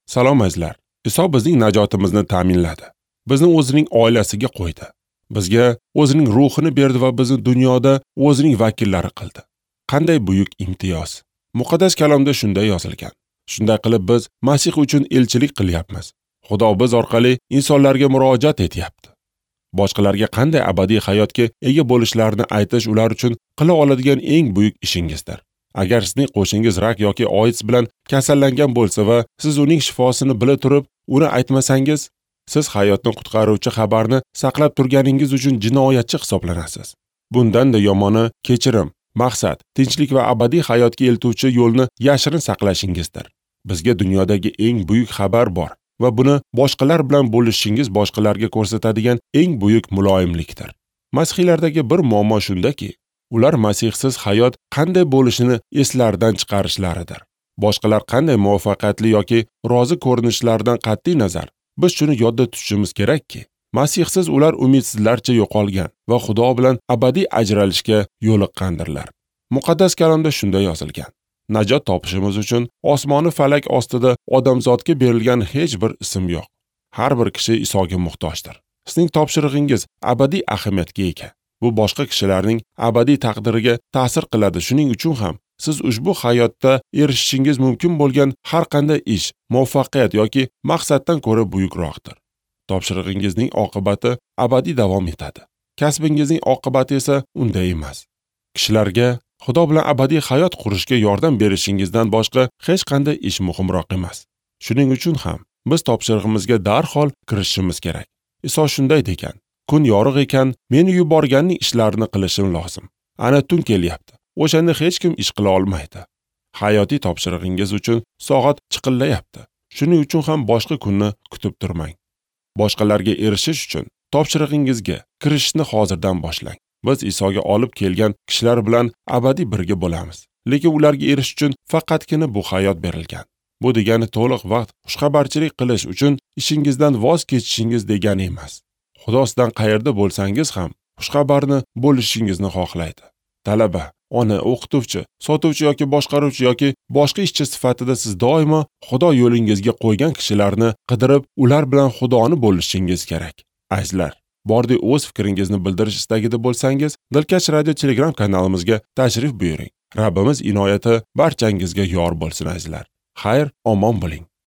Salom azizlar. Iso bizning najotimizni ta'minladi. Bizni o'zining oilasiga qo'ydi. Bizga o'zining ruhini berdi va bizni dunyoda o'zining vakillari qildi. Qanday buyuk imtiyoz. Muqaddas kalomda shunday yozilgan. Shunday qilib biz Masih uchun elchilik qilyapmiz. Xudo biz orqali insonlarga murojaat etyapti. Boshqalarga qanday abadiy hayotga ega bo'lishlarini aytish ular uchun qila oladigan eng buyuk ishingizdir. Agar sizning qo'shingiz rak yoki AIDS bilan kasallangan bo'lsa va siz uning shifosini bila turib, uni aytmasangiz, siz hayotni qutqaruvchi xabarni saqlab turganingiz uchun jinoyatchi hisoblanasiz. Bundan-da yomoni kechirim, maqsad, tinchlik va abadiy hayotga eltuvchi yo'lni yashirin saqlashingizdir. Bizga dunyodagi eng buyuk xabar bor va buni boshqalar bilan bo'lishingiz boshqalarga ko'rsatadigan eng buyuk muloyimlikdir. Masihiylardagi bir muammo shundaki, ular Masihsiz hayot qanday bo'lishini eslaridan chiqarishlaridir. Boshqalar qanday muvaffaqiyatli yoki rozi ko'rinishlaridan qat'iy nazar, biz shuni yodda tutishimiz kerakki, Masihsiz ular umidsizlarcha yo'qolgan va Xudo bilan abadiy ajralishga yo'liqqandirlar. Muqaddas kalomda shunday yozilgan. Najot topishimiz uchun osmoni falak ostida odamzodga berilgan hech bir ism yo'q. Har bir kishi Isoga muhtojdir. Sizning topshirig'ingiz abadiy ahamiyatga ega. Bu boshqa kishilarning abadiy taqdiriga ta'sir qiladi. Shuning uchun ham siz ushbu hayotda erishishingiz mumkin bo'lgan har qanday ish, muvaffaqiyat yoki maqsaddan ko'ra buyukroqdir. Topshirig'ingizning oqibati abadiy davom etadi. Kasbingizning oqibati esa unday emas. Kishilarga Xudo bilan abadiy hayot qurishga yordam berishingizdan boshqa hech qanday ish muhimroq emas. Shuning uchun ham biz topshirig'imizga darhol kirishishimiz kerak. Iso shunday degan: kun yorug' ekan, meni yuborganning ishlarini qilishim lozim. Ana tun kelyapti. O'shanda hech kim ish qila olmaydi. Hayotiy topshirig'ingiz uchun soat chiqillayapti. Shuning uchun ham boshqa kunni kutib turmang. Boshqalarga erishish uchun topshirig'ingizga kirishni hozirdan boshlang. Biz Isoga olib kelgan kishilar bilan abadiy birga bo'lamiz. Lekin ularga erishish uchun faqatgina bu hayot berilgan. Bu degani to'liq vaqt xushxabarchilik qilish uchun ishingizdan voz kechishingiz degani emas. Xudo sizdan qayerda bo'lsangiz ham xushxabarni bo'lishingizni xohlaydi. Talaba, ona, o'qituvchi, sotuvchi yoki boshqaruvchi yoki boshqa ishchi sifatida siz doimo Xudo yo'lingizga qo'ygan kishilarni qidirib, ular bilan Xudoni bo'lishingiz kerak. Azizlar, bordi o'z fikringizni bildirish istagida bo'lsangiz, Dilkash Radio Telegram kanalimizga tashrif buyuring. Rabbimiz inoyati barchangizga yor bo'lsin azizlar. Xayr, omon bo'ling.